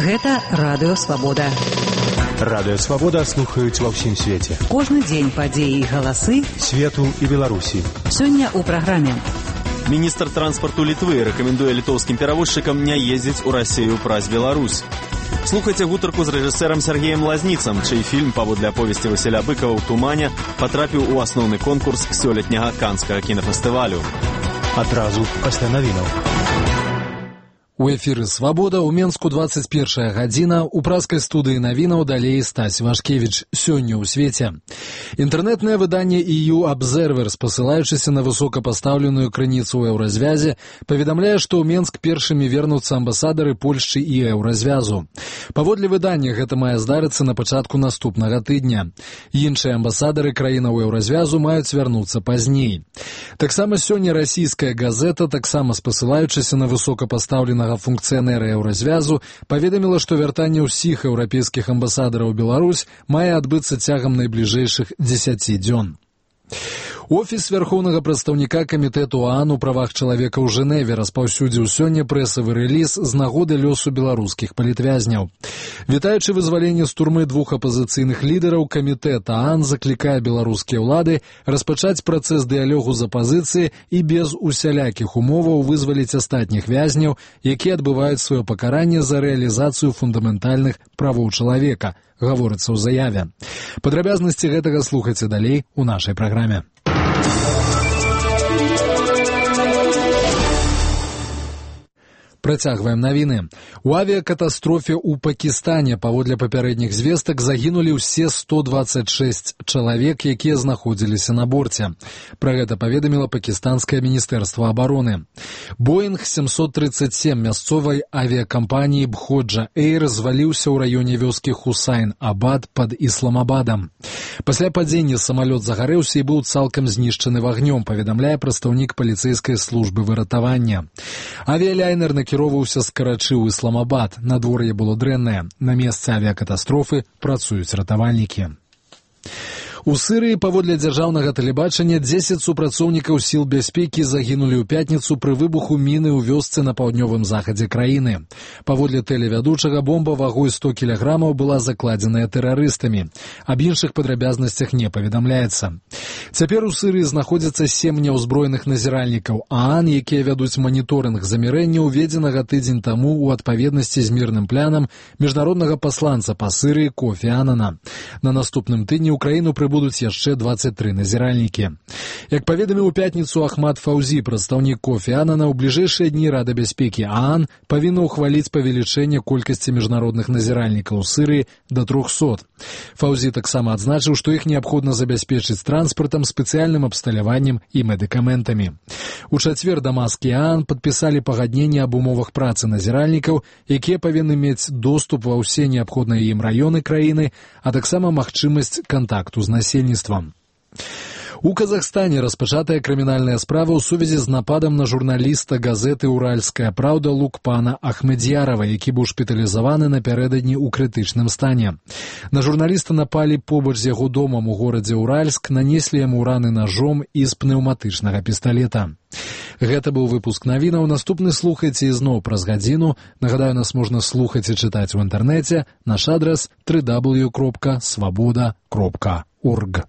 Гэта Радыё Свабода. Радыё Свабода слухаюць ва ўсім свеце. Кожны дзень падзеі і галасы свету і Беларусі. Сёння ў праграме. Міністр транспарту Літвы рэкамендуе літоўскім перавозчыкам не ездзіць у Расію праз Беларусь. Слухайце гутарку з рэжысэрам Сергеем Лазніцам, чый фільм паводле аповесці Васіля Быкава ў тумане патрапіў у асноўны конкурс сёлетняга канскага кінафестывалю. Адразу пасля навінаў. У эфіры «Свабода» ў Менску 21 гадзіна, у праскай студыі навінаў далей Стась Вашкевіч. Сёння ў свеце. Інтэрнэтнае выданне EU Observer, спасылаючыся на высокапастаўленую крыніцу ў еўразвязе, паведамляе, што ў Менск першымі вернуцца амбасадары Польшчы і еўразвязу. Паводле выдання гэта мае здарыцца на пачатку наступнага тыдня. Іншыя амбасадары краінаў еўразвязу маюць вярнуцца пазней. Таксама сёння расійская газета, таксама спасылаючыся на высокапастаўленага функцыянера еўразвязу, паведаміла, што вяртанне ўсіх еўрапейскіх амбасадараў у Беларусь мае адбыцца цягам найбліжэйшых 10 дзён. Офіс вярхоўнага прадстаўніка камітэту ОАН у правах чалавека ў Жэневе распаўсюдзіў сёння прэсавы рэліз з нагоды лёсу беларускіх палітвязняў. Вітаючы вызваленне з турмы двух апазіцыйных лідараў, камітэт ОАН заклікае беларускія ўлады распачаць працэс дыялогу з апазіцыяй і без усялякіх умоваў вызваліць астатніх вязняў, якія адбываюць сваё пакаранне за рэалізацыю фундаментальных правоў чалавека, гаворыцца ў заяве. Падрабязнасці гэтага слухайце далей у нашай праграме. Працягваем навіны. У авіякатастрофе ў Пакістане паводле папярэдніх звестак загінулі ўсе 126 чалавек, якія знаходзіліся на борце. Пра гэта паведаміла пакістанскае міністэрства абароны. Боинг 737 мясцовай авіякампаніі Бходжа Эйр зваліўся ў раёне вёскі Хусайн-Абад пад Ісламабадам. Пасля падзення самалёт загарэўся і быў цалкам знішчаны вагнём, паведамляе прадстаўнік паліцэйскай службы выратавання. Авіялайнер накіроўваўся з Карачы ў Ісламабад. Надвор'е было дрэннае. На месцы авіякатастрофы працуюць ратавальнікі. У Сырыі паводле дзяржаўнага тэлебачання 10 супрацоўнікаў сіл бяспекі загінулі ў пятніцу пры выбуху міны ў вёсцы на паўднёвым захадзе краіны. Паводле тэлевядучага бомба вагой 100 кілаграмаў была закладзеная тэрарыстамі. Аб іншых падрабязнасцях не паведамляецца. Цяпер у Сырыі знаходзяцца 7 няўзброеных назіральнікаў ААН, якія вядуць маніторынг замірэння, уведзенага тыдзень таму ў адпаведнасці з мірным планам міжнароднага пасланца па Сырыі Кофі Анана. На наступным тыдні ў краіну будуць яшчэ 23 назіральнікі. Як паведаміў у пятніцу Ахмад Фаўзі, прадстаўнік Кофі Анана, у бліжэйшыя дні Рада бяспекі ААН павінна ўхваліць павелічэнне колькасці міжнародных назіральнікаў у Сырыі да 300. Фаўзі таксама адзначыў, што іх неабходна забяспечыць транспартам, спецыяльным абсталяваннем і медыкаментамі. У чацвер Дамаск і ААН падпісалі пагадненне аб умовах працы назіральнікаў, якія павінны мець доступ ва ўсе неабходныя ім раёны краіны, а таксама магчымасць кантакту з насельніцтвам. У Казахстане распачатая крымінальная справа ў сувязі з нападам на журналіста газеты «Уральская праўда» Лукпана Ахмедьярова, які быў шпіталізаваны напярэдадні ў крытычным стане. На журналіста напалі побач з яго домам у горадзе Уральск, нанеслі яму раны нажом і з пнеўматычнага пісталета. Гэта быў выпуск навінаў. Наступны слухайце ізноў праз гадзіну. Нагадаю, нас можна слухаць і чытаць у інтэрнэце. Наш адрас www.swaboda.org.